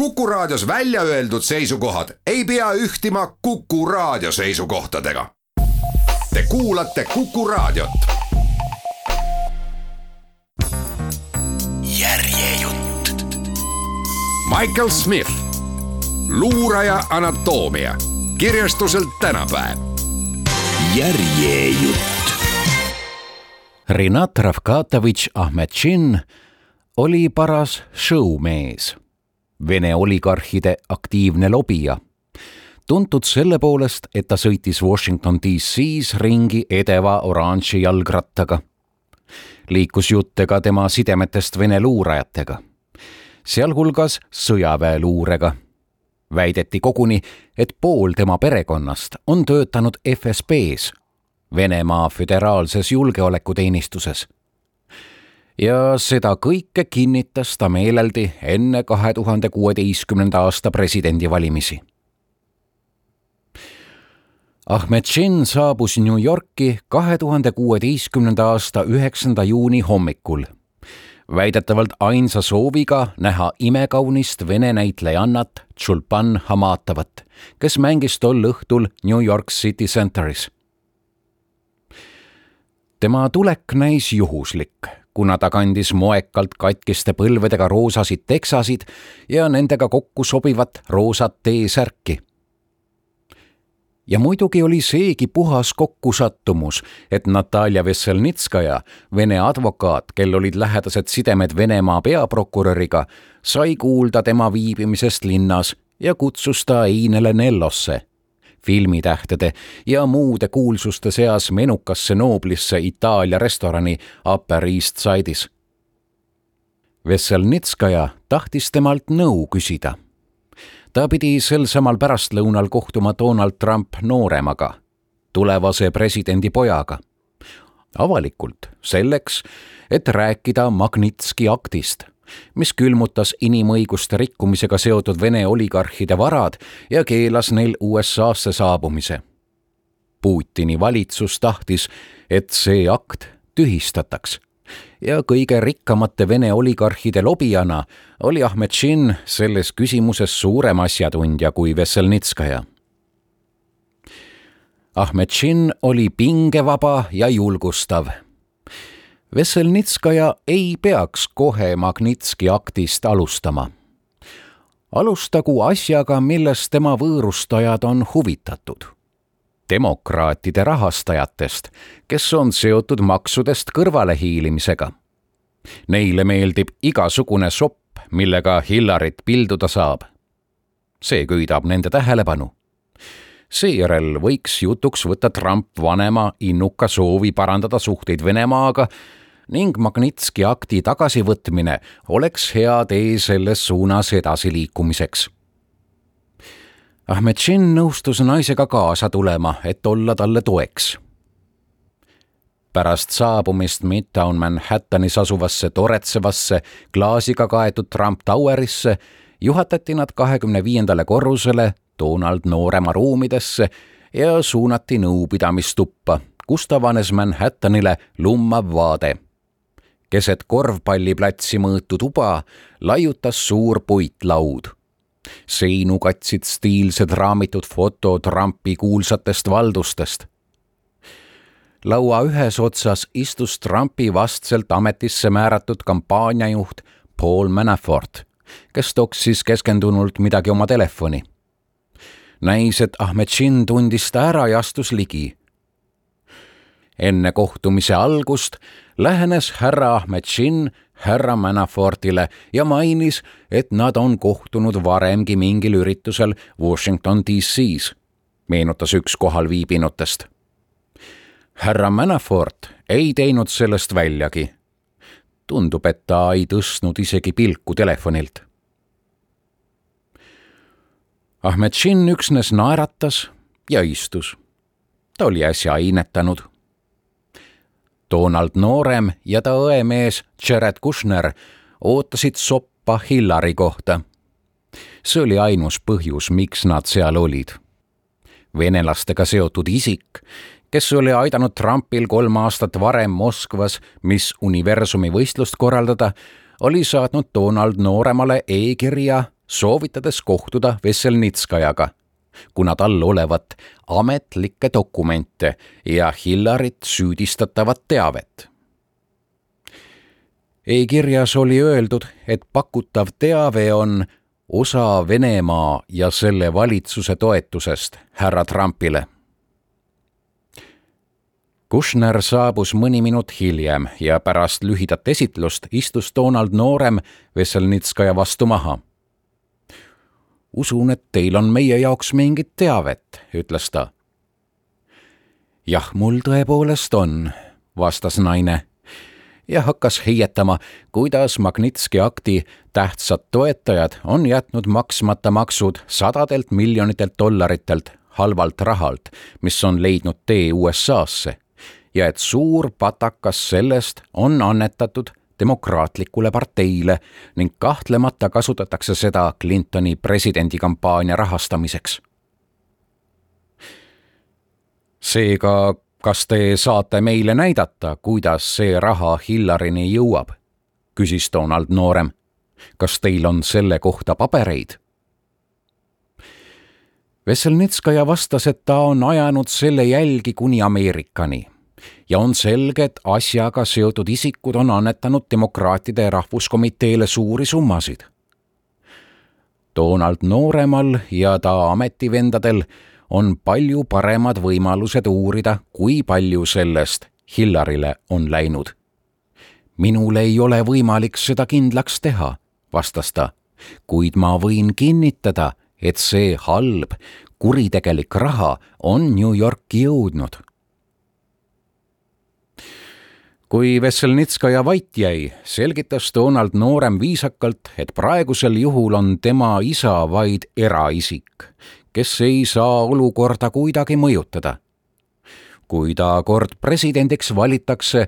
Kuku Raadios välja öeldud seisukohad ei pea ühtima Kuku Raadio seisukohtadega. Te kuulate Kuku Raadiot. Järjejutt. Michael Smith, luuraja anatoomia, kirjastuselt Tänapäev. Järjejutt. Rinat Ravkatovitš Ahmetšin oli paras showmees, Vene oligarhide aktiivne lobija, tuntud selle poolest, et ta sõitis Washington D.C.s ringi edeva oranži jalgrattaga. Liikus juttega tema sidemetest Vene luurajatega, sealhulgas sõjaväeluurega. Väideti koguni, et pool tema perekonnast on töötanud FSB-s, Venemaa föderaalses julgeolekuteenistuses. Ja seda kõike kinnitas ta meeleldi enne 2016. aasta presidendivalimisi. Ahmetšin saabus New Yorki 2016. aasta 9. juuni hommikul, väidetavalt ainsa sooviga näha imekaunist vene näitlejannat Tšulpan Hamatavat, kes mängis tol õhtul New York City Centeris. Tema tulek näis juhuslik, kuna ta kandis moekalt katkiste põlvedega roosasid teksasid ja nendega kokku sobivat roosat T-särki. Ja muidugi oli seegi puhas kokkusattumus, et Natalja Vesselnitskaja, Vene advokaat, kel olid lähedased sidemed Venemaa peaprokuröriga, sai kuulda tema viibimisest linnas ja kutsus ta einele Nellosse, filmitähtede ja muude kuulsuste seas menukasse nooblisse Itaalia restorani Upper East Side'is. Vesselnitskaja tahtis temalt nõu küsida. Ta pidi sel samal pärastlõunal kohtuma Donald Trump nooremaga, tulevase presidendi pojaga. Avalikult selleks, et rääkida Magnitski aktist, mis külmutas inimõiguste rikkumisega seotud Vene oligarhide varad ja keelas neil USA-sse saabumise. Putini valitsus tahtis, et see akt tühistataks. Ja kõige rikkamate Vene oligarhide lobijana oli Ahmetšin selles küsimuses suurem asjatundja kui Vesselnitskaja. Ahmetšin oli pingevaba ja julgustav. Vesselnitskaja ei peaks kohe Magnitski aktist alustama. Alustagu asjaga, milles tema võõrustajad on huvitatud. Demokraatide rahastajatest, kes on seotud maksudest kõrvalehiilimisega. Neile meeldib igasugune sopp, millega Hillarit pilduda saab. See köidab nende tähelepanu. Seejärel võiks jutuks võtta Trump vanema innuka soovi parandada suhteid Venemaaga ning Magnitski akti tagasivõtmine oleks hea tee selles suunas edasiliikumiseks. Ahmetšin nõustus naisega kaasa tulema, et olla talle toeks. Pärast saabumist Midtown Manhattanis asuvasse toretsevasse klaasiga kaetud Trump Towerisse juhatati nad 25. korrusele Donald noorema ruumidesse ja suunati nõupidamistuppa, kust avanes Manhattanile lummav vaade. Keset korvpalliplatsi mõõtu tuba laiutas suur puitlaud. Seinu katsid stiilsed raamitud foto Trumpi kuulsatest valdustest. Laua ühes otsas istus Trumpi vastselt ametisse määratud kampaaniajuht Paul Manafort, kes toksis keskendunult midagi oma telefoni. Näis, et Ahmetšin tundis ta ära ja astus ligi. Enne kohtumise algust lähenes härra Ahmetšin härra Manafortile ja mainis, et nad on kohtunud varemgi mingil üritusel Washington D.C.s, meenutas üks kohal viibinutest. Härra Manafort ei teinud sellest väljagi. Tundub, et ta ei tõstnud isegi pilku telefonilt. Ahmetšin üksnes naeratas ja istus. Ta oli äsja ainetanud. Donald noorem ja ta õemees Jared Kushner ootasid soppa Hillari kohta. See oli ainus põhjus, miks nad seal olid. Venelastega seotud isik, kes oli aidanud Trumpil 3 aastat varem Moskvas Miss Universumi võistlust korraldada, oli saatnud Donald nooremale e-kirja soovitades kohtuda Vesselnitskajaga, kuna tal olevat ametlikke dokumente ja Hillarit süüdistatavat teavet. E-kirjas oli öeldud, et pakutav teave on osa Venemaa ja selle valitsuse toetusest härra Trumpile. Kushner saabus mõni minut hiljem ja pärast lühidat esitlust istus Donald Noorem Vesselnitskaja vastu maha. Usun, et teil on meie jaoks mingit teavet, ütles ta. Jah, mul tõepoolest on, vastas naine ja hakkas heietama, kuidas Magnitski akti tähtsad toetajad on jätnud maksmata maksud $100 miljonitelt halvalt rahalt, mis on leidnud tee USA-sse ja et suur patakas sellest on annetatud demokraatlikule parteile ning kahtlemata kasutatakse seda Clintoni presidendikampaania rahastamiseks. Seega, kas te saate meile näidata, kuidas see raha Hillarini jõuab? Küsis Donald Noorem. Kas teil on selle kohta pabereid? Vesselnitskaja vastas, et ta on ajanud selle jälgi kuni Ameerikani ja on selge, et asjaga seotud isikud on annetanud demokraatide rahvuskomiteele suuri summasid. Donald Nooremal ja ta ametivendadel on palju paremad võimalused uurida, kui palju sellest Hillarile on läinud. Minul ei ole võimalik seda kindlaks teha, vastas ta, kuid ma võin kinnitada, et see halb, kuritegelik raha on New Yorki jõudnud. Kui Vesselnitskaja vait jäi, selgitas Donald Noorem viisakalt, et praegusel juhul on tema isa vaid eraisik, kes ei saa olukorda kuidagi mõjutada. Kui ta kord presidendiks valitakse,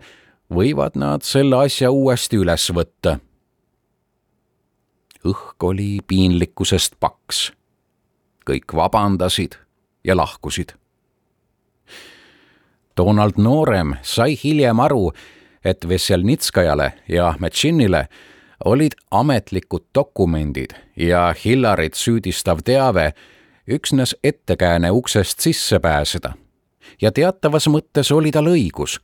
võivad nad selle asja uuesti üles võtta. Õhk oli piinlikkusest paks. Kõik vabandasid ja lahkusid. Donald Noorem sai hiljem aru, et Vesselnitskajale ja Metšinile olid ametlikud dokumendid ja Hillarit süüdistav teave üksnes ettekääne uksest sisse pääseda ja teatavas mõttes oli tal õigus.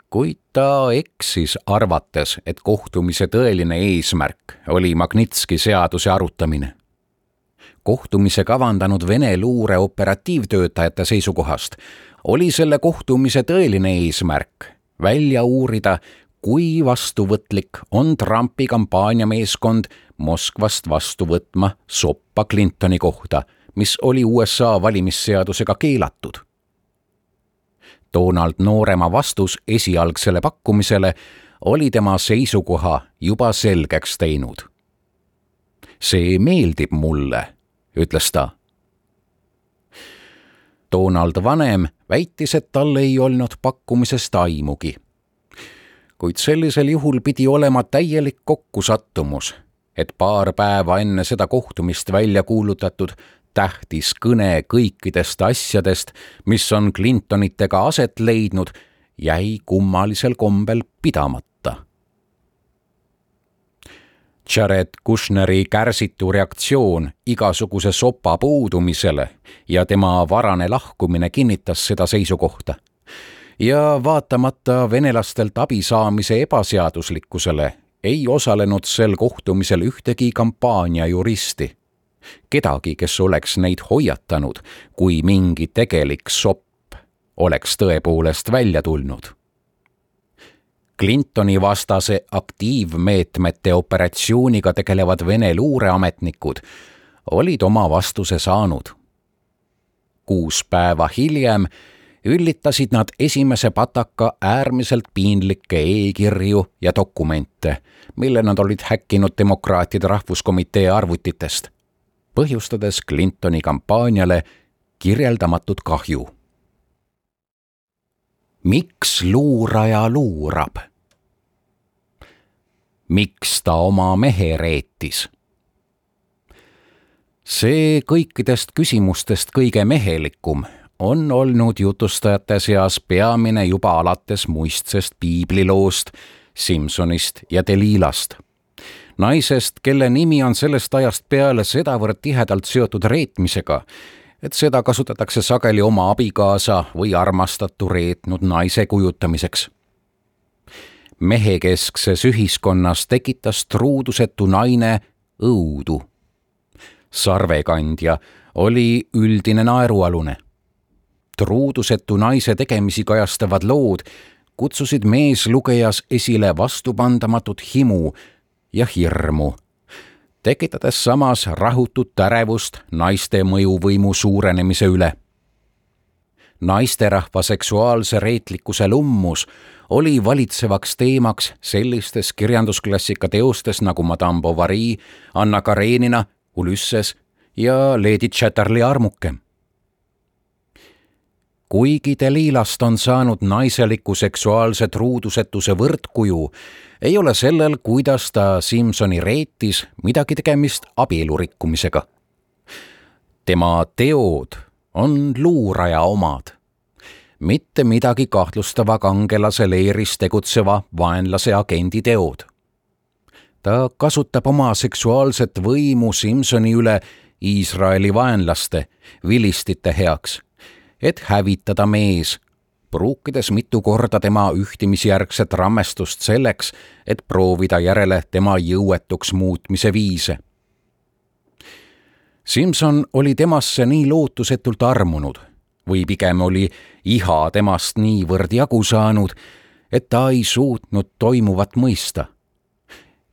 Kuid ta eksis arvates, et kohtumise tõeline eesmärk oli Magnitski seaduse arutamine. Kohtumise kavandanud Vene luure operatiivtöötajate seisukohast oli selle kohtumise tõeline eesmärk välja uurida, kui vastuvõtlik on Trumpi kampaaniameeskond Moskvast vastu võtma soppa Clintoni kohta, mis oli USA valimisseadusega keelatud. Donald Noorema vastus esialgsele pakkumisele oli tema seisukoha juba selgeks teinud. See meeldib mulle, ütles ta. Donald Vanem väitis, et tal ei olnud pakkumisest aimugi. Kuid sellisel juhul pidi olema täielik kokkusattumus, et paar päeva enne seda kohtumist välja kuulutatud tähtis kõne kõikidest asjadest, mis on Clintonitega aset leidnud, jäi kummalisel kombel pidamata. Jared Kushneri kärsitu reaktsioon igasuguse sopa puudumisele ja tema varane lahkumine kinnitas seda seisukohta. Ja vaatamata venelastelt abi saamise ebaseaduslikkusele ei osalenud sel kohtumisel ühtegi kampaania juristi. Kedagi, kes oleks neid hoiatanud, kui mingi tegelik sopp oleks tõepoolest välja tulnud. Clintoni vastase aktiivmeetmete operatsiooniga tegelevad Vene luureametnikud olid oma vastuse saanud. 6 päeva hiljem üllitasid nad esimese pataka äärmiselt piinlikke e-kirju ja dokumente, mille nad olid häkkinud demokraatide rahvuskomitee arvutitest, põhjustades Clintoni kampaaniale kirjeldamatut kahju. Miks luuraja luurab? Miks ta oma mehe reetis? See kõikidest küsimustest kõige mehelikum on olnud jutustajate seas peamine juba alates muistsest piibliloost, Simsonist ja Delilast. naisest, kelle nimi on sellest ajast peale sedavõrd tihedalt seotud reetmisega, et seda kasutatakse sageli oma abikaasa või armastatu reetnud naise kujutamiseks. Mehekeskses ühiskonnas tekitas truudusetu naine õudu. Sarvekandja oli üldine naerualune. Truudusetu naise tegemisi kajastavad lood kutsusid meeslugejas esile vastupandamatut himu ja hirmu, tekitades samas rahutut ärevust naiste mõjuvõimu suurenemise üle. Naisterahva seksuaalse reetlikkuse lummus oli valitsevaks teemaks sellistes kirjandusklassika teostes nagu Madame Bovary, Anna Karenina, Ulysses ja Lady Chatterley armuke. Kuigi Delilast on saanud naiseliku seksuaalse truudusetuse võrdkuju, ei ole sellel, kuidas ta Simsoni reetis, midagi tegemist abielurikkumisega. Tema teod on luuraja omad, mitte midagi kahtlustava kangelase leeris tegutseva vaenlase agendi teod. Ta kasutab oma seksuaalset võimu Simsoni üle Iisraeli vaenlaste, vilistite heaks, et hävitada mees, pruukides mitu korda tema ühtimisjärgset rammestust selleks, et proovida järele tema jõuetuks muutmise viise. Simson oli temasse nii lootusetult armunud või pigem oli iha temast niivõrd jagu saanud, et ta ei suutnud toimuvat mõista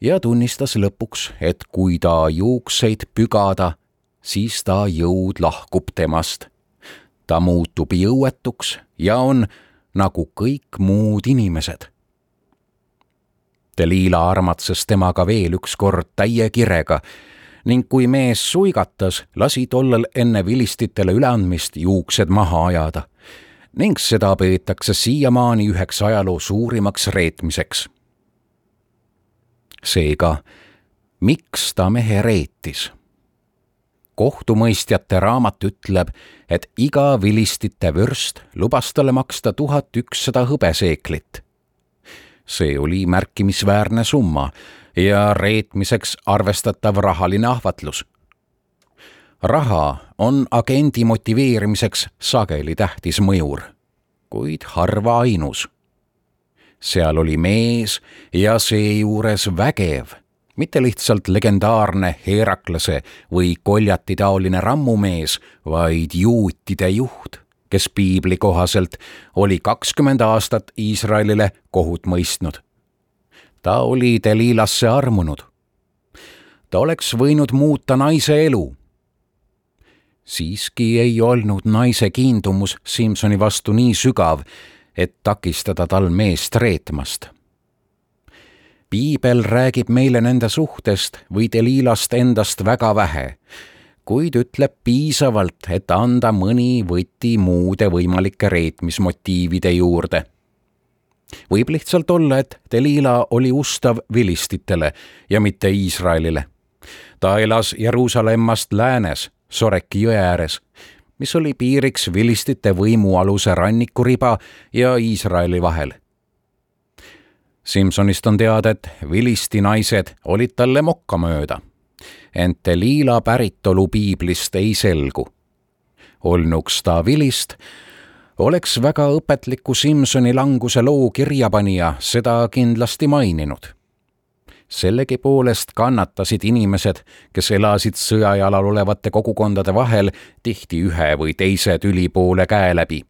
ja tunnistas lõpuks, et kui ta juukseid pügada, siis ta jõud lahkub temast. Ta muutub jõuetuks ja on nagu kõik muud inimesed. Delila armatses temaga veel üks kord täie kirega ning kui mees suigatas, lasi tollel enne vilistitele üleandmist juuksed maha ajada ning seda peetakse siiamaani üheks ajaloo suurimaks reetmiseks. Seega, miks ta mehe reetis? Kohtumõistjate raamat ütleb, et iga vilistite vürst lubas talle maksta 1100 hõbeseeklit. See oli märkimisväärne summa ja reetmiseks arvestatav rahaline ahvatlus. Raha on agendi motiveerimiseks sageli tähtis mõjur, kuid harva ainus. Seal oli mees ja seejuures vägev, mitte lihtsalt legendaarne Heraklase või Koljati taoline rammumees, vaid juutide juht, kes piibli kohaselt oli 20 aastat Iisraelile kohut mõistnud. Ta oli Delilasse armunud. Ta oleks võinud muuta naise elu. Siiski ei olnud naise kiindumus Simsoni vastu nii sügav, et takistada tal meest reetmast. Piibel räägib meile nende suhtest või Delilast endast väga vähe, kuid ütleb piisavalt, et anda mõni võti muude võimalike reetmismotiivide juurde. Võib lihtsalt olla, et Delila oli ustav vilistitele ja mitte Iisraelile. Ta elas Jeruusalemmast läänes, Soreki jõe ääres, mis oli piiriks vilistite võimualuse rannikuriba ja Iisraeli vahel. Simsonist on teada, et vilisti naised olid talle mokkamööda, ent Delila päritolu piiblist ei selgu. Olnuks ta vilist, oleks väga õpetliku Simsoni languse loo kirjapanija seda kindlasti maininud. Sellegi poolest kannatasid inimesed, kes elasid sõjajalal olevate kogukondade vahel tihti ühe või teise tüli poole käe läbi.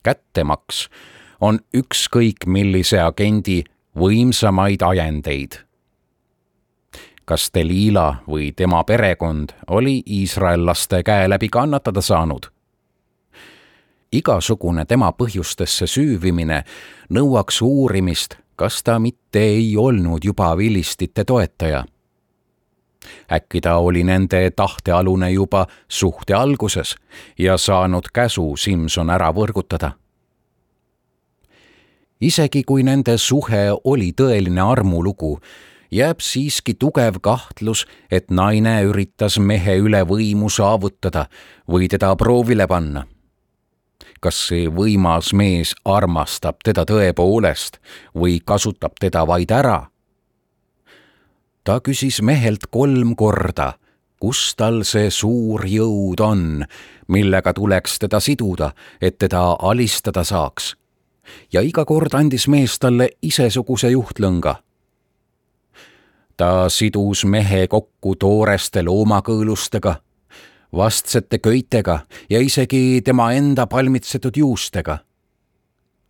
Kättemaks on ükskõik millise agendi võimsamaid ajendeid. Kas Delila või tema perekond oli iisraellaste käe läbi kannatada saanud? Igasugune tema põhjustesse süüvimine nõuaks uurimist, kas ta mitte ei olnud juba vilistite toetaja. Äkki ta oli nende tahtealune juba suhte alguses ja saanud käsu Simson ära võrgutada. Isegi kui nende suhe oli tõeline armulugu, jääb siiski tugev kahtlus, et naine üritas mehe üle võimu saavutada või teda proovile panna. Kas see võimas mees armastab teda tõepoolest või kasutab teda vaid ära? Ta küsis mehelt 3 korda, kus tal see suur jõud on, millega tuleks teda siduda, et teda alistada saaks. Ja iga kord andis mees talle isesuguse juhtlõnga. Ta sidus mehe kokku tooreste loomakõõlustega, vastsete köitega ja isegi tema enda palmitsetud juustega.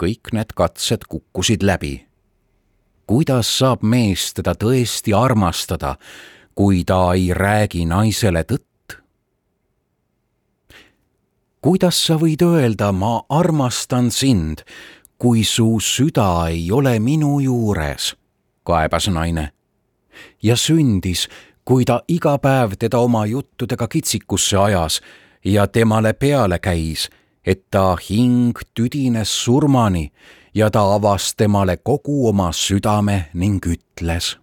Kõik need katsed kukkusid läbi. Kuidas saab mees teda tõesti armastada, kui ta ei räägi naisele tõtt? Kuidas sa võid öelda, ma armastan sind, kui su süda ei ole minu juures, kaebas naine. Ja sündis, kui ta iga päev teda oma juttudega kitsikusse ajas ja temale peale käis, et ta hing tüdines surmani ja ta avas temale kogu oma südame ning ütles.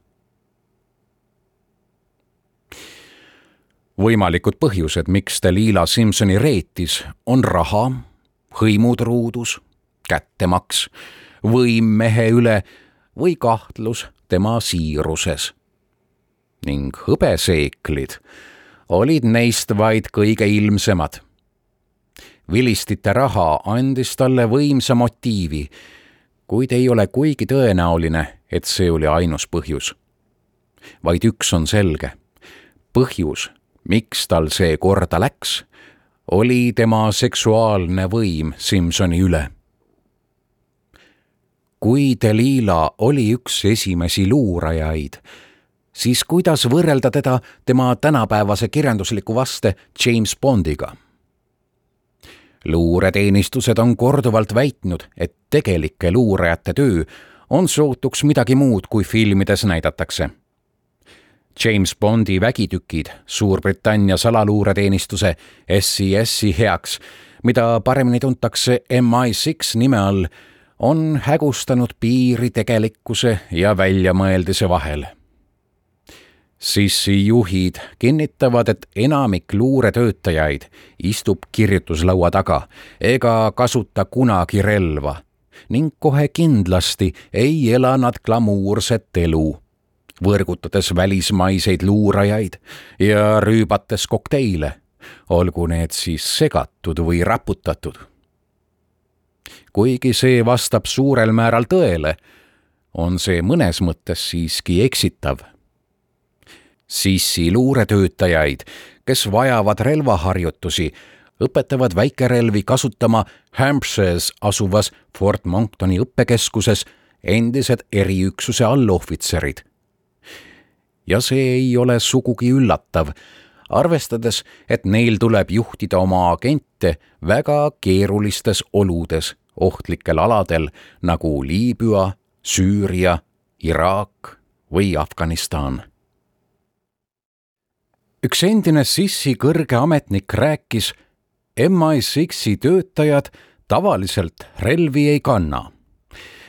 Võimalikud põhjused, miks Delilah Simpsoni reetis, on raha, hõimutruudus, kättemaks, võim mehe üle või kahtlus tema siiruses. Ning hõbeseeklid olid neist vaid kõige ilmsemad. Vilistite raha andis talle võimsa motiivi, kuid ei ole kuigi tõenäoline, et see oli ainus põhjus. Vaid üks on selge. Põhjus, miks tal see korda läks, oli tema seksuaalne võim Simpsoni üle. Kui Delilah oli üks esimesi luurajaid, siis kuidas võrrelda teda tema tänapäevase kirjandusliku vaste James Bondiga? Luureteenistused on korduvalt väitnud, et tegelike luurajate töö on sootuks midagi muud, kui filmides näidatakse. James Bondi vägitükid Suurbritannia salaluureteenistuse SCS-i heaks, mida paremini tuntakse MI6 nime all, on hägustanud piiri tegelikkuse ja väljamõeldise vahel. Sissi juhid kinnitavad, et enamik luuretöötajaid istub kirjutuslaua taga ega kasuta kunagi relva ning kohe kindlasti ei ela nad glamuurset elu, võrgutades välismaiseid luurajaid ja rüübates kokteile, olgu need siis segatud või raputatud. Kuigi see vastab suurel määral tõele, on see mõnes mõttes siiski eksitav. Sissi luuretöötajaid, kes vajavad relvaharjutusi, õpetavad väikerelvi kasutama Hampshire's asuvas Fort Monktoni õppekeskuses endised eriüksuse allohvitserid. Ja see ei ole sugugi üllatav, arvestades, et neil tuleb juhtida oma agente väga keerulistes oludes, ohtlikel aladel nagu Liibüa, Süüria, Iraak või Afganistan. Üks endine Sissi kõrge ametnik rääkis, MI6-i töötajad tavaliselt relvi ei kanna,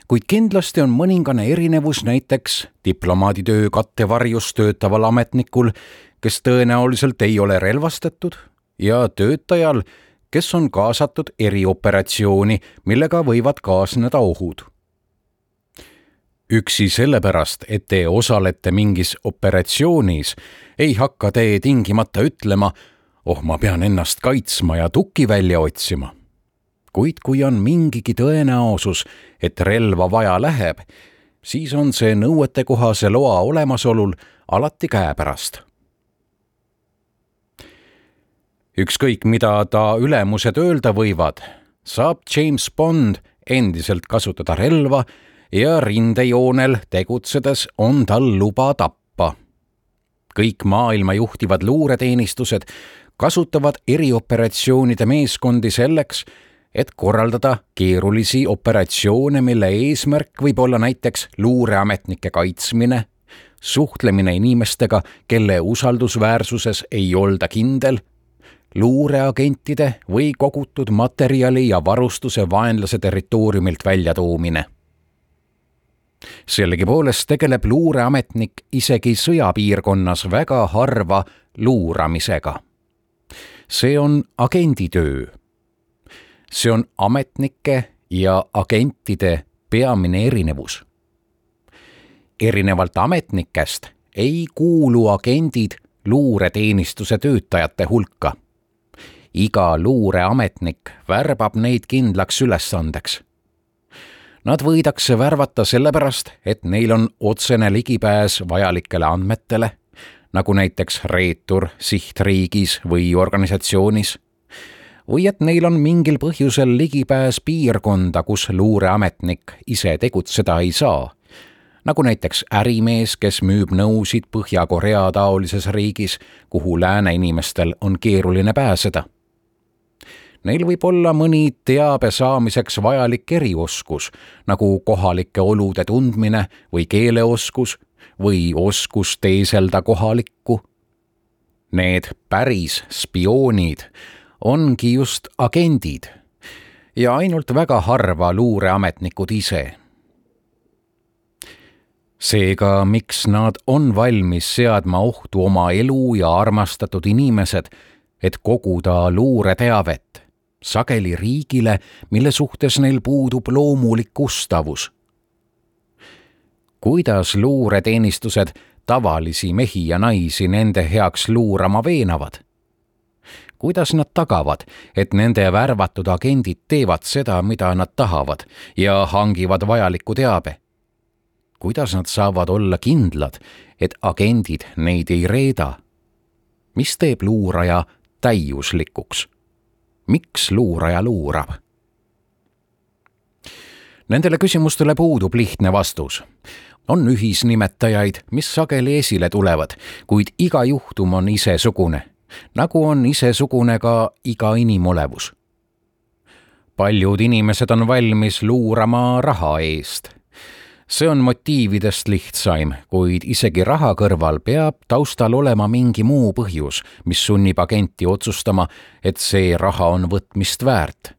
kuid kindlasti on mõningane erinevus näiteks diplomaaditöö kattevarjus töötaval ametnikul, kes tõenäoliselt ei ole relvastatud, ja töötajal, kes on kaasatud erioperatsiooni, millega võivad kaasneda ohud. Üksi sellepärast, et te osalete mingis operatsioonis, ei hakka te tingimata ütlema, ma pean ennast kaitsma ja tuki välja otsima. Kuid kui on mingigi tõenäosus, et relva vaja läheb, siis on see nõuetekohase loa olemasolul alati käepärast. Ükskõik, mida ta ülemused öelda võivad, saab James Bond endiselt kasutada relva ja rindejoonel tegutsedes on tal luba tappa. Kõik maailma juhtivad luureteenistused kasutavad erioperatsioonide meeskondi selleks, et korraldada keerulisi operatsioone, mille eesmärk võib olla näiteks luureametnike kaitsmine, suhtlemine inimestega, kelle usaldusväärsuses ei olda kindel, luureagentide või kogutud materjali ja varustuse vaenlase territooriumilt väljatoomine. Sellegipoolest tegeleb luureametnik isegi sõjapiirkonnas väga harva luuramisega. See on agenditöö. See on ametnike ja agentide peamine erinevus. Erinevalt ametnikest ei kuulu agendid luureteenistuse töötajate hulka. Iga luureametnik värbab neid kindlaks ülesandeks. Nad võidakse värvata sellepärast, et neil on otsene ligipääs vajalikele andmetele, nagu näiteks reetur sihtriigis või organisatsioonis, või et neil on mingil põhjusel ligipääs piirkonda, kus luureametnik ise tegutseda ei saa, nagu näiteks ärimees, kes müüb nõusid Põhja-Korea taolises riigis, kuhu lääne inimestel on keeruline pääseda. Neil võib olla mõni teabe saamiseks vajalik erioskus, nagu kohalike olude tundmine või keeleoskus või oskus teeselda kohalikku. Need päris spioonid ongi just agendid ja ainult väga harva luureametnikud ise. Seega, miks nad on valmis seadma ohtu oma elu ja armastatud inimesed, et koguda luureteavet, sageli riigile, mille suhtes neil puudub loomulik ustavus? Kuidas luureteenistused tavalisi mehi ja naisi nende heaks luurama veenavad? Kuidas nad tagavad, et nende värvatud agendid teevad seda, mida nad tahavad ja hangivad vajaliku teabe? Kuidas nad saavad olla kindlad, et agendid neid ei reeda? Mis teeb luuraja täiuslikuks? Miks luuraja luurab? Nendele küsimustele puudub lihtne vastus. On ühisnimetajaid, mis sageli esile tulevad, kuid iga juhtum on isesugune, nagu on isesugune ka iga inimolevus. Paljud inimesed on valmis luurama raha eest. See on motiividest lihtsaim, kuid isegi raha kõrval peab taustal olema mingi muu põhjus, mis sunnib agenti otsustama, et see raha on võtmist väärt.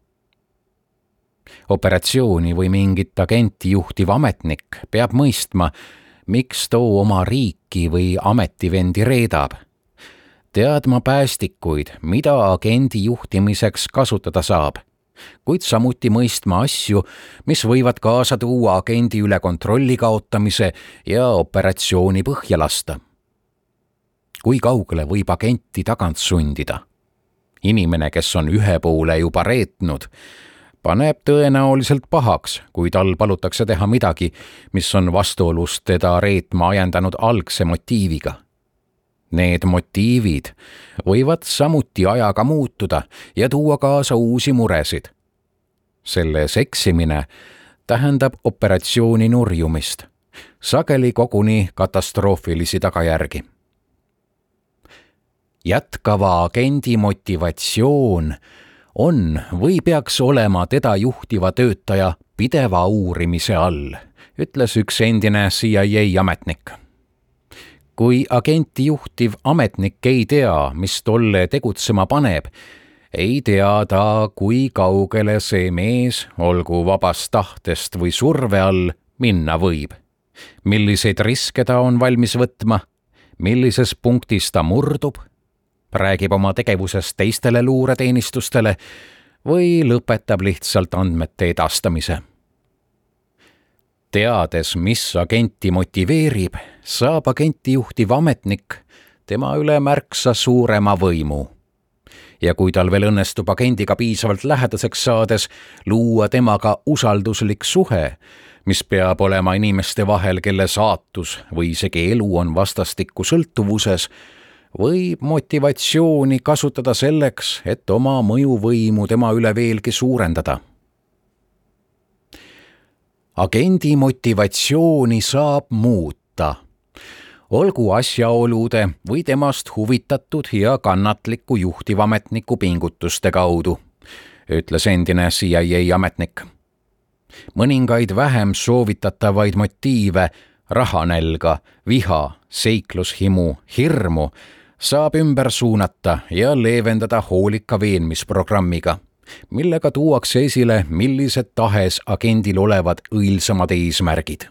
Operatsiooni või mingit agenti juhtiv ametnik peab mõistma, miks too oma riiki või ametivendi reedab. Teadma päästikuid, mida agendi juhtimiseks kasutada saab, kuid samuti mõistma asju, mis võivad kaasa tuua agendi üle kontrolli kaotamise ja operatsiooni põhja lasta. Kui kaugele võib agenti tagant sundida? Inimene, kes on ühe poole juba reetnud, paneb tõenäoliselt pahaks, kui tal palutakse teha midagi, mis on vastuolus teda reetma ajendanud algse motiiviga. Need motiivid võivad samuti ajaga muutuda ja tuua kaasa uusi muresid. Selles eksimine tähendab operatsiooni nurjumist, sageli koguni katastroofilisi tagajärgi. Jätkava agendi motivatsioon on või peaks olema teda juhtiva töötaja pideva uurimise all, ütles üks endine CIA ametnik. Kui agenti juhtiv ametnik ei tea, mis tolle tegutsema paneb, ei tea ta, kui kaugele see mees, olgu vabast tahtest või surve all, minna võib. Milliseid riske ta on valmis võtma, millises punktis ta murdub, räägib oma tegevusest teistele luureteenistustele või lõpetab lihtsalt andmete edastamise. Teades, mis agenti motiveerib, saab agenti juhtiv ametnik tema üle märksa suurema võimu. Ja kui tal veel õnnestub agendiga piisavalt lähedaseks saades luua temaga usalduslik suhe, mis peab olema inimeste vahel, kelle saatus või isegi elu on vastastikku sõltuvuses, võib motivatsiooni kasutada selleks, et oma mõjuvõimu tema üle veelgi suurendada. Agendi motivatsiooni saab muuta, olgu asjaolude või temast huvitatud ja kannatliku juhtivametniku pingutuste kaudu, ütles endine CIA ametnik. Mõningaid vähem soovitatavaid motiive, rahanälga, viha, seiklushimu, hirmu saab ümber suunata ja leevendada hoolika veenmisprogrammiga, millega tuuakse esile millised tahes agendil olevad õilsamad eesmärgid.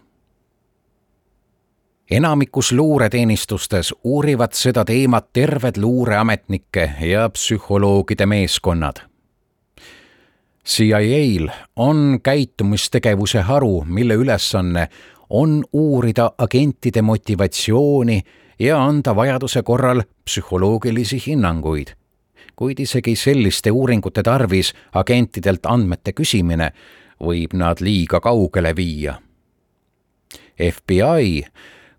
Enamikus luureteenistustes uurivad seda teemat terved luureametnike ja psühholoogide meeskonnad. CIA-l on käitumistegevuse haru, mille ülesanne on uurida agentide motivatsiooni ja anda vajaduse korral psühholoogilisi hinnanguid. Kuid isegi selliste uuringute tarvis agentidelt andmete küsimine võib nad liiga kaugele viia. FBI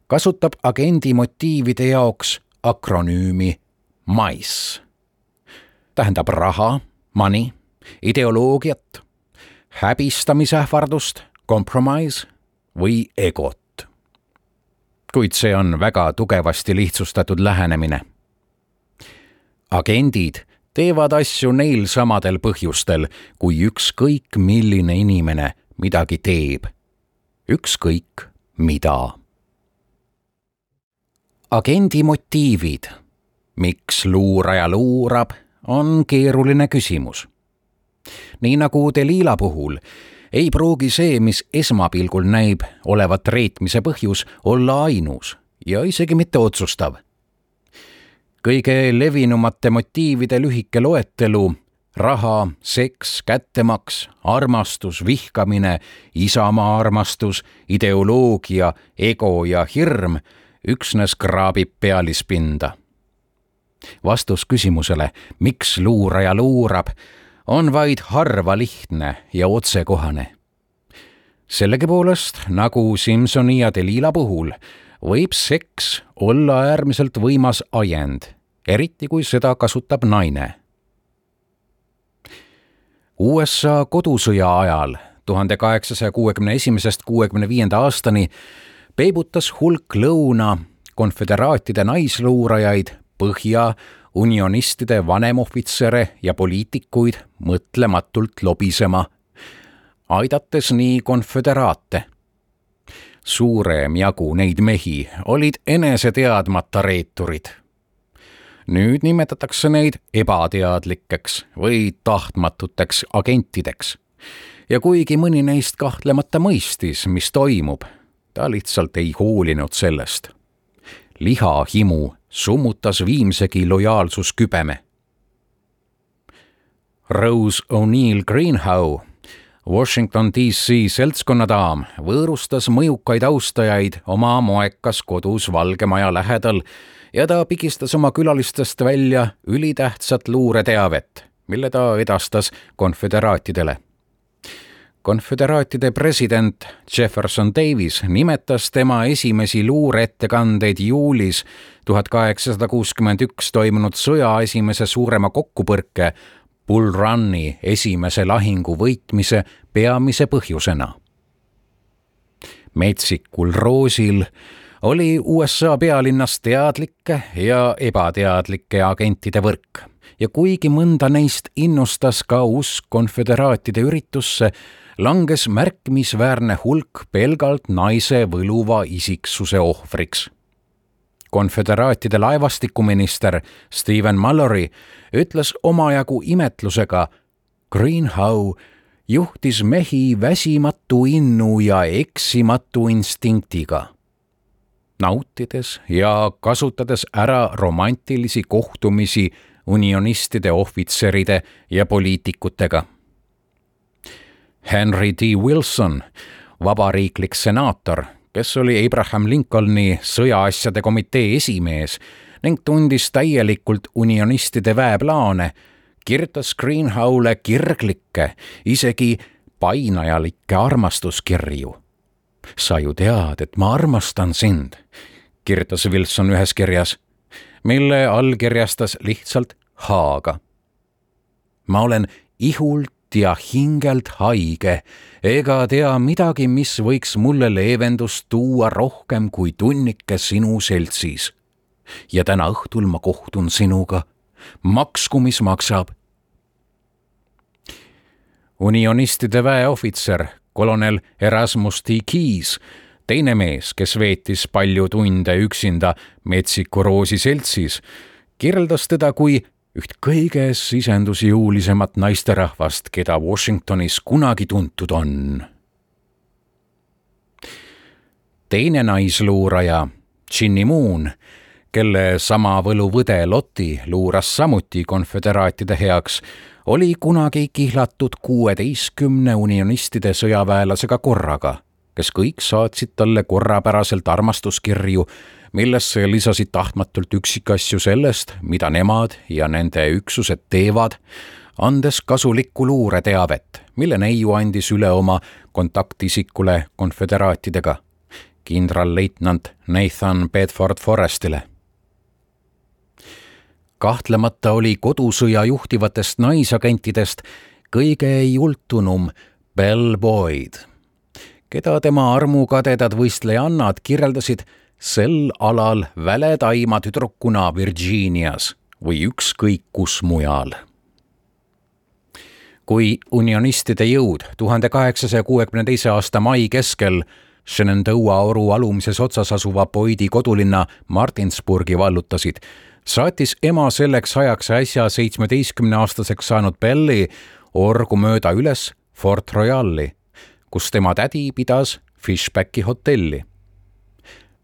kasutab agendi motiivide jaoks akronüümi MICE. Tähendab raha, money, ideoloogiat, häbistamisähvardust, compromise või egot. Kuid see on väga tugevasti lihtsustatud lähenemine. Agendid teevad asju neil samadel põhjustel, kui ükskõik milline inimene midagi teeb. Ükskõik mida. Agendi motiivid. Miks luuraja luurab, on keeruline küsimus. Nii nagu Delila puhul, ei pruugi see, mis esmapilgul näib olevat reetmise põhjus, olla ainus ja isegi mitte otsustav. Kõige levinumate motiivide lühike loetelu, raha, seks, kättemaks, armastus, vihkamine, isamaa armastus, ideoloogia, ego ja hirm üksnes kraabib pealispinda. Vastus küsimusele, miks luuraja luurab, on vaid harva lihtne ja otsekohane. Sellegipoolest, nagu Simpsoni ja Delila puhul, võib seks olla äärmiselt võimas ajend, eriti kui seda kasutab naine. USA kodusõja ajal 1861–65 aastani peibutas hulk lõuna konföderaatide naisluurajaid põhja unionistide vanemohvitsere ja poliitikuid mõtlematult lobisema, aidates nii konföderaate. Suurem jagu neid mehi olid eneseteadmata reeturid. Nüüd nimetatakse neid ebateadlikeks või tahtmatuteks agentideks. Ja kuigi mõni neist kahtlemata mõistis, mis toimub, ta lihtsalt ei hoolinud sellest. Lihahimu summutas viimsegi lojaalsuskübeme. Rose O'Neal Greenhow, Washington DC seltskonnadaam, võõrustas mõjukaid austajaid oma moekas kodus Valge Maja lähedal ja ta pigistas oma külalistest välja ülitähtsat luureteavet, mille ta edastas konföderaatidele. Konföderaatide president Jefferson Davis nimetas tema esimesi luureettekandeid juulis 1861 toimunud sõja esimese suurema kokkupõrke Bull Run'i esimese lahingu võitmise peamise põhjusena. Metsikul roosil oli USA pealinnas teadlikke ja ebateadlikke agentide võrk ja kuigi mõnda neist innustas ka usk konföderaatide üritusse, langes märkimisväärne hulk pelgalt naise võluva isiksuse ohvriks. Konföderaatide laevastikuminister Stephen Mallory ütles omajagu imetlusega, Greenhow juhtis mehi väsimatu innu ja eksimatu instinktiga, nautides ja kasutades ära romantilisi kohtumisi unionistide ohvitseride ja poliitikutega. Henry D. Wilson, vabariiklik senaator, kes oli Abraham Lincolni sõjaasjade komitee esimees ning tundis täielikult unionistide väeplaane, kirjutas Greenhowle kirglikke, isegi painajalikke armastuskirju. Sa ju tead, et ma armastan sind, kirjutas Wilson ühes kirjas, mille allkirjastas lihtsalt H-ga. Ma olen ihult ja hingelt haige, ega tea midagi, mis võiks mulle leevendust tuua rohkem kui tunnike sinu seltsis. Ja täna õhtul ma kohtun sinuga, maksku mis maksab. Unionistide väeohvitser, kolonel Erasmus T. Keyes, teine mees, kes veetis palju tunde üksinda Metsiku roosi seltsis, kirjeldas teda kui üht kõige sisendusjõulisemat naisterahvast, keda Washingtonis kunagi tuntud on. Teine naisluuraja, Ginny Moon, kelle sama võluvõde Lotti luuras samuti konföderaatide heaks, oli kunagi kihlatud 16 unionistide sõjaväelasega korraga, kes kõik saatsid talle korrapäraselt armastuskirju, millesse lisasid tahtmatult üksikasju sellest, mida nemad ja nende üksused teevad, andes kasulikku luureteavet, mille neiu andis üle oma kontaktisikule konföderaatidega, kindralleitnant Nathan Bedford Forrestile. Kahtlemata oli kodusõja juhtivatest naisagentidest kõige jultunum Belle Boyd, keda tema armukadedad võistlejannad kirjeldasid sel alal väletaima tüdrukuna Virginias või ükskõik kus mujal. Kui unionistide jõud 1862. aasta mai keskel Shenandoah oru alumises otsas asuva Boydi kodulinna Martinsburgi vallutasid, saatis ema selleks ajaks äsja 17-aastaseks saanud Belli orgu mööda üles Fort Royali, kus tema tädi pidas Fishbacki hotelli.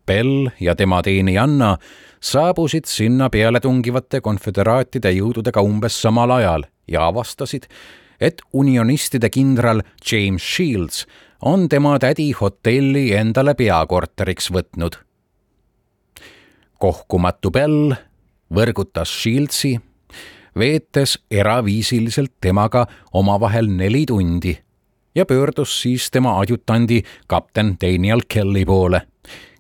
Bell ja tema teenijanna saabusid sinna pealetungivate konföderaatide jõududega umbes samal ajal ja avastasid, et unionistide kindral James Shields on tema tädi hotelli endale peakorteriks võtnud. Kohkumatu Bell võrgutas Shieldsi, veetes eraviisiliselt temaga omavahel 4 tundi ja pöördus siis tema adjutandi kapten Daniel Kelly poole,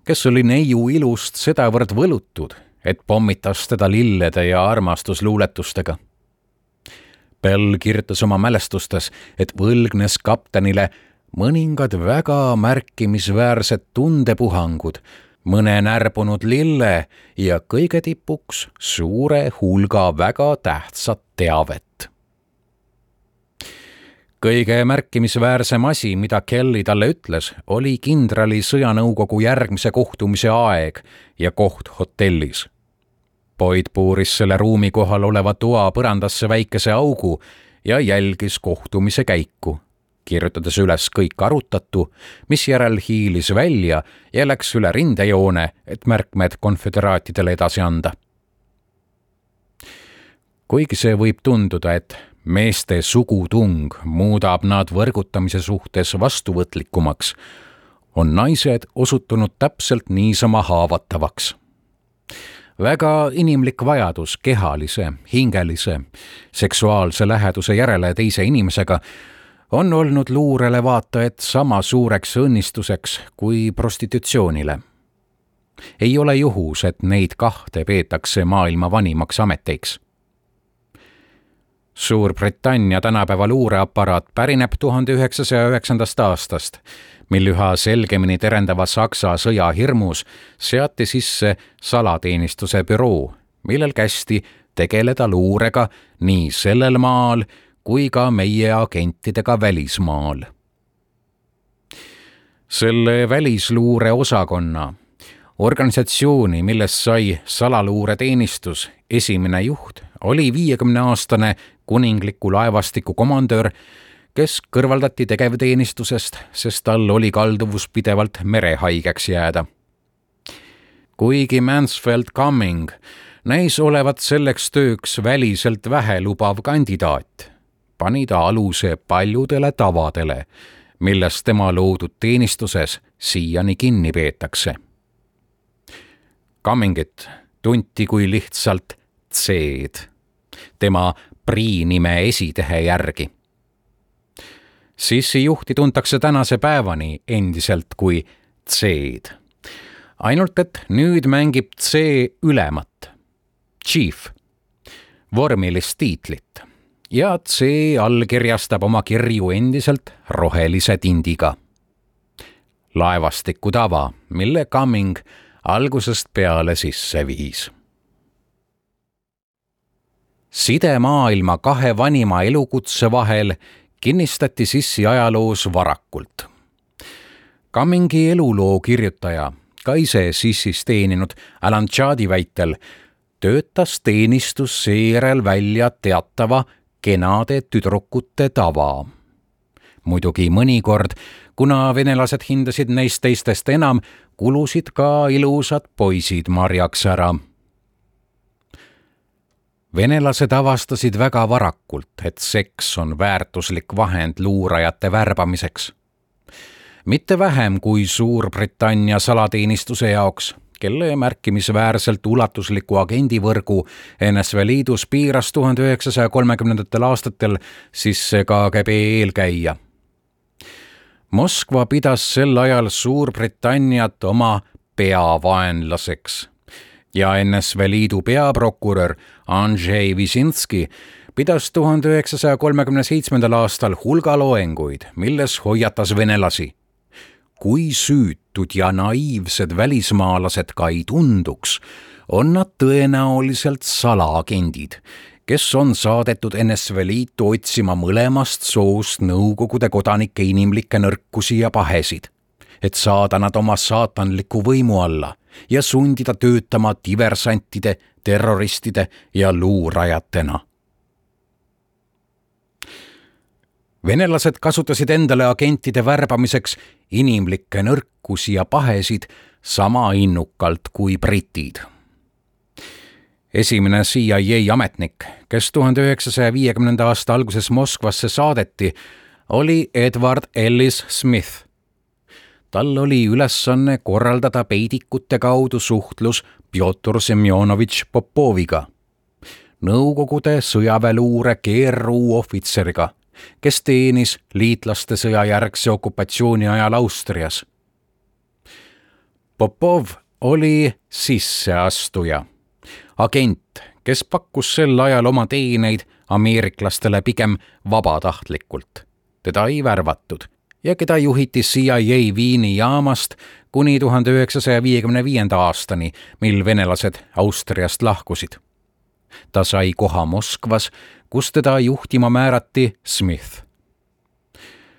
kes oli neiu ilust sedavõrd võlutud, et pommitas teda lillede ja armastusluuletustega. Bell kirjutas oma mälestustes, et võlgnes kaptenile mõningad väga märkimisväärsed tundepuhangud, mõne närbunud lille ja kõige tipuks suure hulga väga tähtsat teavet. Kõige märkimisväärsem asi, mida Kelly talle ütles, oli kindrali sõjanõukogu järgmise kohtumise aeg ja koht hotellis. Boyd puuris selle ruumi kohal oleva toa põrandasse väikese augu ja jälgis kohtumise käiku, kirjutades üles kõik arutatu, mis järel hiilis välja ja läks üle rindejoone, et märkmed konföderaatidele edasi anda. Kuigi see võib tunduda, et meeste sugutung muudab nad võrgutamise suhtes vastuvõtlikumaks, on naised osutunud täpselt niisama haavatavaks. Väga inimlik vajadus kehalise, hingelise, seksuaalse läheduse järele teise inimesega on olnud luurele vaatajad sama suureks õnnistuseks kui prostitutsioonile. Ei ole juhus, et neid 2 peetakse maailma vanimaks ameteiks. Suurbritannia tänapäeva luureaparaat pärineb 1909. aastast, mil üha selgemini terendava Saksa sõja hirmus seati sisse salateenistuse büroo, millel kästi tegeleda luurega nii sellel maal kui ka meie agentidega välismaal. Selle välisluure osakonna, organisatsiooni, millest sai salaluureteenistus esimene juht, oli 50-aastane kuningliku laevastiku komandör, kes kõrvaldati tegevteenistusest, sest tal oli kalduvus pidevalt merehaigeks jääda. Kuigi Mansfield Cumming näis olevat selleks tööks väliselt vähelubav kandidaat, pani ta aluse paljudele tavadele, millest tema loodud teenistuses siiani kinni peetakse. Cummingit tunti kui lihtsalt C-d, tema priinime esitehe järgi. Sissi juhti tuntakse tänase päevani endiselt kui C-d. Ainult et nüüd mängib C ülemat, chief, vormilist tiitlit ja C allkirjastab oma kirju endiselt rohelise tindiga. Laevastiku tava, mille Cumming algusest peale sisse viis. Side maailma 2 vanima elukutse vahel kinnistati sissi ajaloos varakult. Cummingi eluloo kirjutaja, ka ise sissis teeninud Alan Chadi väitel, töötas teenistus seejärel välja teatava kenade tüdrukute tava. Muidugi mõnikord, kuna venelased hindasid neist teistest enam, kulusid ka ilusad poisid marjaks ära. Venelased avastasid väga varakult, et seks on väärtuslik vahend luurajate värbamiseks. mitte vähem kui Suurbritannia salateenistuse jaoks, kelle märkimisväärselt ulatusliku agendivõrgu NSV Liidus piiras 1930. aastatel sisse KGB eelkäija. Moskva pidas sel ajal Suurbritanniat oma peavaenlaseks ja NSV Liidu peaprokurör Andrzej Wyszynski pidas 1937. aastal hulga loenguid, milles hoiatas venelasi. Kui süütud ja naiivsed välismaalased ka ei tunduks, on nad tõenäoliselt salaagendid, kes on saadetud NSV Liitu otsima mõlemast soost Nõukogude kodanike inimlikke nõrkusi ja pahesid, et saada nad oma saatanliku võimu alla ja sundida töötama diversantide, terroristide ja luurajatena. Venelased kasutasid endale agentide värbamiseks inimlikke nõrkusi ja pahesid sama innukalt kui britid. Esimene CIA ametnik, kes 1950. aasta alguses Moskvasse saadeti, oli Edward Ellis Smith. Tal oli ülesanne korraldada peidikute kaudu suhtlus Pjotor Semjonovitš Popoviga, Nõukogude sõjaväeluure GRU ohvitseriga, kes teenis liitlaste sõjajärgse okupatsiooni ajal Austrias. Popov oli sisseastuja, agent, kes pakkus sel ajal oma teeneid ameeriklastele pigem vabatahtlikult. Teda ei värvatud ja keda juhiti CIA Viini jaamast kuni 1955. aastani, mil venelased Austriast lahkusid. Ta sai koha Moskvas, kus teda juhtima määrati Smith.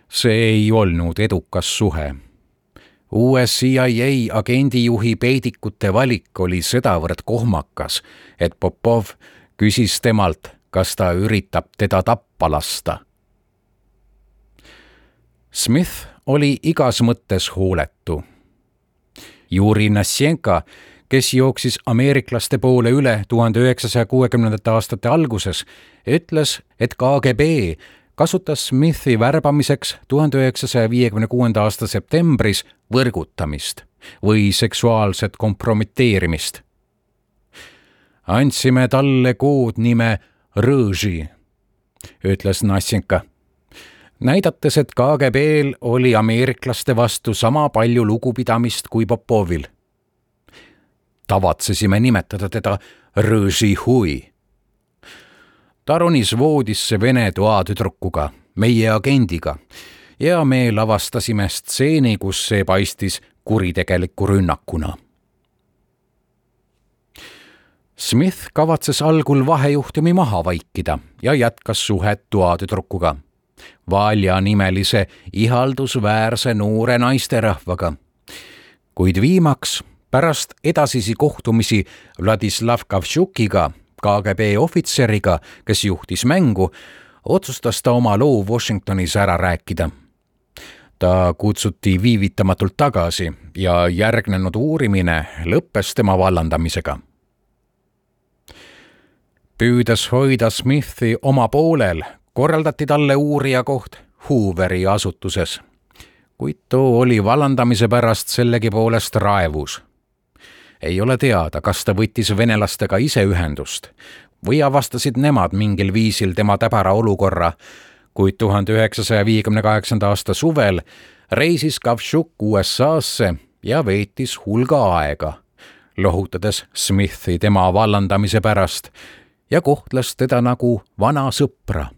See ei olnud edukas suhe. Uue CIA agendijuhi peidikute valik oli sedavõrd kohmakas, et Popov küsis temalt, kas ta üritab teda tappa lasta. Smith oli igas mõttes hooletu. Juri Nasjenka, kes jooksis ameeriklaste poole üle 1960. aastate alguses, ütles, et KGB kasutas Smithi värbamiseks 1956. aasta septembris võrgutamist või seksuaalset kompromiteerimist. Andsime talle koodnime Rõži, ütles Nasjenka, näidates, et KGB-l oli ameeriklaste vastu sama palju lugupidamist kui Popovil. Tavatsesime nimetada teda Rõži hui. Ta ronis voodisse vene toatüdrukuga, meie agendiga, ja me lavastasime stseeni, kus see paistis kuritegeliku rünnakuna. Smith kavatses algul vahejuhtumi maha vaikida ja jätkas suhet toatüdrukuga, Valja nimelise ihaldusväärse noore naisterahvaga. Kuid viimaks, pärast edasisi kohtumisi Vladislav Kavtšukiga, KGB ohvitseriga, kes juhtis mängu, otsustas ta oma loo Washingtonis ära rääkida. Ta kutsuti viivitamatult tagasi ja järgnenud uurimine lõppes tema vallandamisega. Püüdes hoida Smithi oma poolel, korraldati talle uurija koht Hooveri asutuses, kuid too oli vallandamise pärast sellegipoolest raevus. Ei ole teada, kas ta võttis venelastega ise ühendust või avastasid nemad mingil viisil tema täbara olukorra, kuid 1958. aasta suvel reisis Kavtšuk USA-sse ja veetis hulga aega, lohutades Smithi tema vallandamise pärast ja kohtles teda nagu vana sõpra.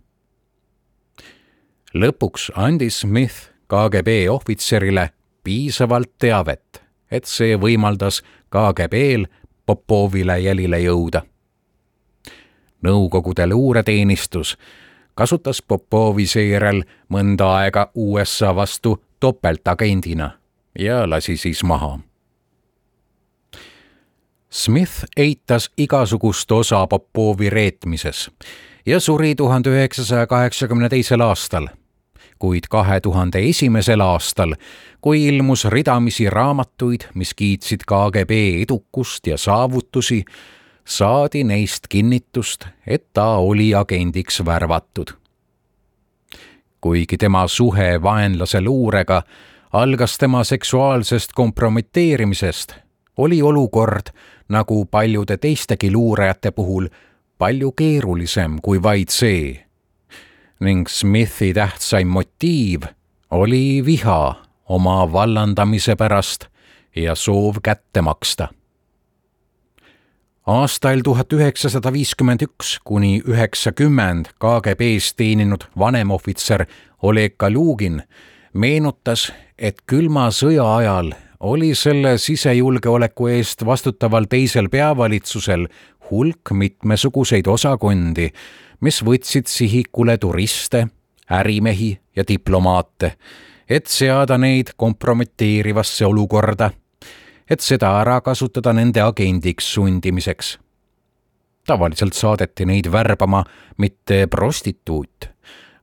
Lõpuks andis Smith KGB ohvitserile piisavalt teavet, et see võimaldas KGB-l Popovile jälile jõuda. Nõukogude luureteenistus kasutas Popovi seejärel mõnda aega USA vastu topeltagendina ja lasi siis maha. Smith eitas igasugust osa Popovi reetmises ja suri 1982. aastal, kuid 2001. aastal, kui ilmus ridamisi raamatuid, mis kiitsid KGB edukust ja saavutusi, saadi neist kinnitust, et ta oli agendiks värvatud. Kuigi tema suhe vaenlase luurega algas tema seksuaalsest kompromiteerimisest, oli olukord, nagu paljude teistegi luurajate puhul, palju keerulisem kui vaid see. Ning Smithi tähtsaim motiiv oli viha oma vallandamise pärast ja soov kätte maksta. Aastail 1951 kuni 90 KGB-s teeninud vanemohvitser Oleg Kalugin meenutas, et külma sõja ajal oli selle sisejulgeoleku eest vastutaval teisel peavalitsusel hulk mitmesuguseid osakondi, mis võtsid sihikule turiste, ärimehi ja diplomaate, et seada neid kompromiteerivasse olukorda, et seda ära kasutada nende agendiks sundimiseks. Tavaliselt saadeti neid värbama mitte prostituut,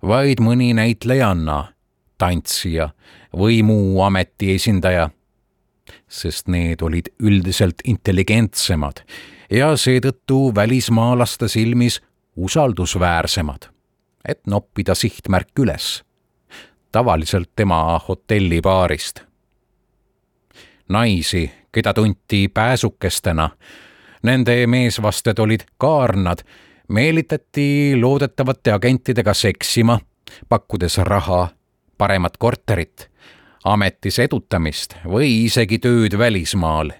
vaid mõni näitlejanna, tantsija või muu ameti esindaja, sest need olid üldiselt intelligentsemad ja seetõttu välismaalaste silmis usaldusväärsemad, et noppida sihtmärk üles, tavaliselt tema hotellibaarist. Naisi, keda tunti pääsukestena, nende meesvasted olid kaarnad, meelitati loodetavate agentidega seksima, pakkudes raha, paremat korterit, ametis edutamist või isegi tööd välismaal.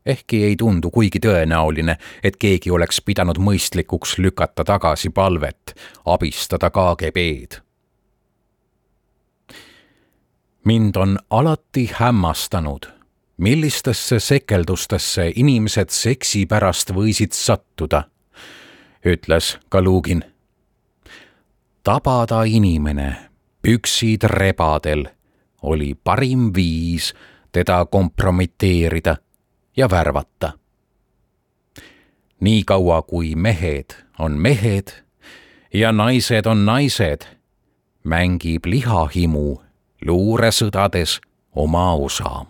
Ehkki ei tundu kuigi tõenäoline, et keegi oleks pidanud mõistlikuks lükata tagasi palvet, abistada KGB-d. Mind on alati hämmastanud, millistesse sekeldustesse inimesed seksi pärast võisid sattuda, ütles Kalugin. Tabada inimene püksid rebadel oli parim viis teda kompromiteerida ja värvata. Nii kaua kui mehed on mehed ja naised on naised, mängib lihahimu luuresõdades oma osa.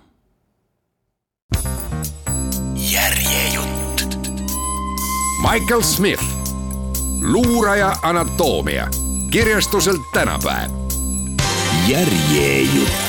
Järjejutt. Michael Smith, luuraja anatoomia, kirjastuselt Tänapäev. Järjejutt.